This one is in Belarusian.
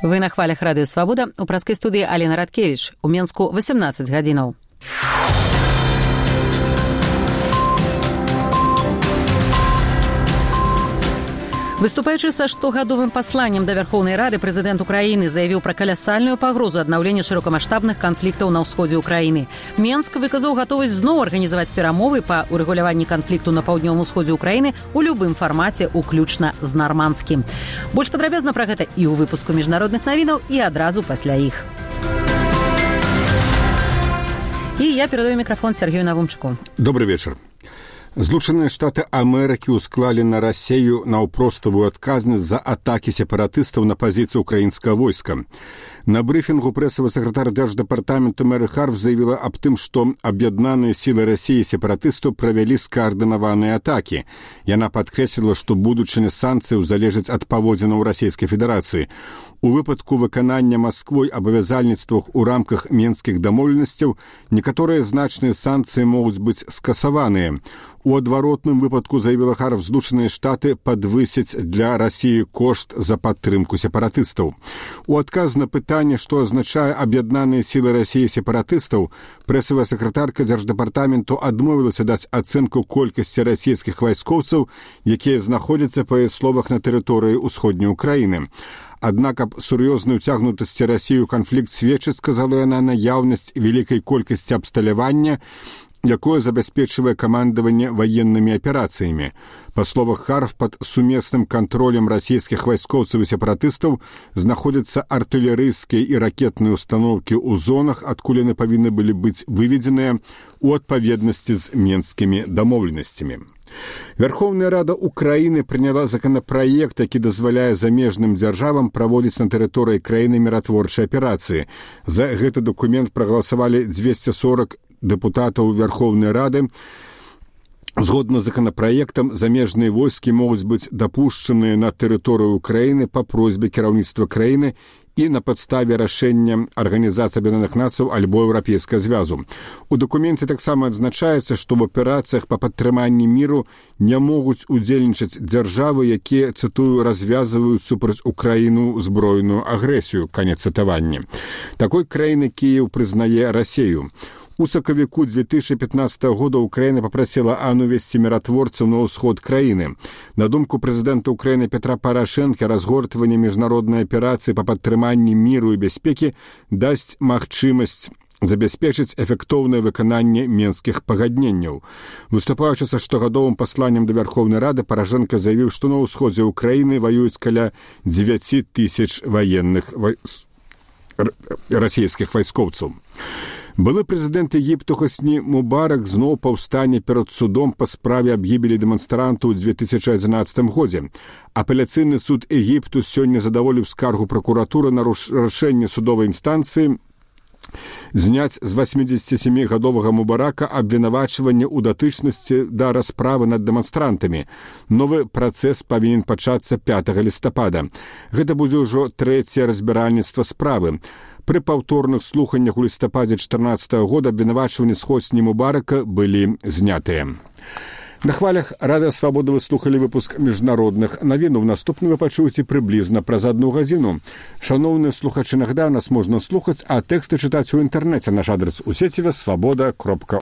Вы на хвалях Радыё Свабода. У праскай студыі Алена Радкевіч. У Менску 18 гадзінаў. Выступаючы са штогадовым пасланнем да Вярхоўнай Рады, прэзідэнт Украіны заявіў пра калясальную пагрозу аднаўлення шырокамаштабных канфліктаў на ўсходзе Украіны. Менск выказаў гатовасць зноў арганізаваць перамовы па урэгуляванні канфлікту на паўднёвым усходзе Украіны у любым фармаце, уключна з нармандскім. Больш падрабязна пра гэта і ў выпуску міжнародных навінаў, і адразу пасля іх. І я перадаю мікрафон Сергею Навумчыку. Добрый вечер. Злучаныя Штаты Амерыкі ўсклалі на Расею наўпроставую адказнасць за атакі сепаратыстаў на пазіцыі украінскага войска. На брыфінгу прэсавы сакратар Дзярждэпартаменту Мэри Харф заявіла аб тым, што аб'яднаныя сілы Расіі сепаратыстаў правялі скаардынаваныя атакі. Яна падкрэсліла, што будучыня санкцыяў залежыць ад паводзінаў Расійскай Федэрацыі. У выпадку выканання Масквой абавязальніцтвах у рамках менскіх дамоўленасцяў некаторыя значныя санкцыі могуць быць скасаваныя. У адваротным выпадку, заявіла Харф, Злучаныя Штаты падвысяць для Расіі кошт за падтрымку сепаратыстаў. У адказ на пытанне, што азначае аб'яднаныя сілы Расіі сепаратыстаў, прэсавая сакратарка Дзярждэпартаменту адмовілася даць ацэнку колькасці расійскіх вайскоўцаў, якія знаходзяцца, па яе словах, на тэрыторыі ўсходняй Украіны. Аднак аб сур'ёзнай уцягнутасці Расіі ў канфлікт сведчыць, сказала яна, наяўнасць вялікай колькасці абсталявання, якое забяспечвае камандаванне ваеннымі аперацыямі. Па словах Харф, пад сумесным кантролем расійскіх вайскоўцаў і сепаратыстаў знаходзяцца артылерыйскія і ракетныя установкі ў зонах, адкуль яны павінны былі быць выведзеныя ў адпаведнасці з менскімі дамоўленасцямі. Верховная Рада Украины приняла законопроект, які дазваляе замежным дзяржавам праводзіць на тэрыторыі краіны міратворчыя аперацыі. За гэты документ прагаласавалі 240 дэпутатаў Верховнай Рады. Згодна з законапраектам, замежныя войскі могуць быць дапушчаныя на тэрыторыю Украіны па просьбе кіраўніцтва краіны і на падставе рашэння Арганізацыі Аб'яднаных Нацый альбо Еўрапейскага звязу. У дакуменце таксама адзначаецца, што в аперацыях па падтрыманні міру не могуць удзельнічаць дзяржавы, якія, цытую, развязваюць супраць Украіну збройную агрэсію. Канец цытавання. Такой краіны Кіеў прызнае Расею. У сакавіку 2015 года Украіна папрасіла АН увесці міратворцаў на ўсход краіны. На думку прэзідэнта Украіны Петра Парашэнка, разгортванне міжнароднай аперацыі па падтрыманні міру і бяспекі дасць магчымасць забяспечыць эфектоўнае выкананне менскіх пагадненняў. Выступаючы са штогадовым пасланнем да Верховнай Рады, Парашэнка заявіў, што на ўсходзе Украіны ваююць каля 9 тысяч ваенных расійскіх вайскоўцаў. Былы прэзідэнт Егіпту Хосні Мубарак зноў паўстане перад судом па справе аб гібелі дэманстрантаў у 2011 годзе. Апеляцыйны суд Егіпту сёння задаволіў скаргу пракуратуры на рашэнне судовай інстанцыі зняць з 87-гадовага Мубарака абвінавачванне ў датычнасці да расправы над дэманстрантамі. Новы працэс павінен пачацца 5 лістапада. Гэта будзе ўжо трэцяе разбіральніцтва справы. Пры паўторных слуханнях у лістападзе 2014 года абвінавачванні з Хосні Мубарака былі знятыя. На хвалях Радыё Свабода вы слухалі выпуск міжнародных навінаў. Наступны вы пачуеце прыблізна праз 1 гадзіну. Шаноўныя слухачы, нагадаю, нас можна слухаць, а тэксты чытаць у інтэрнэце. Наш адрес у сеціве свабода.орг.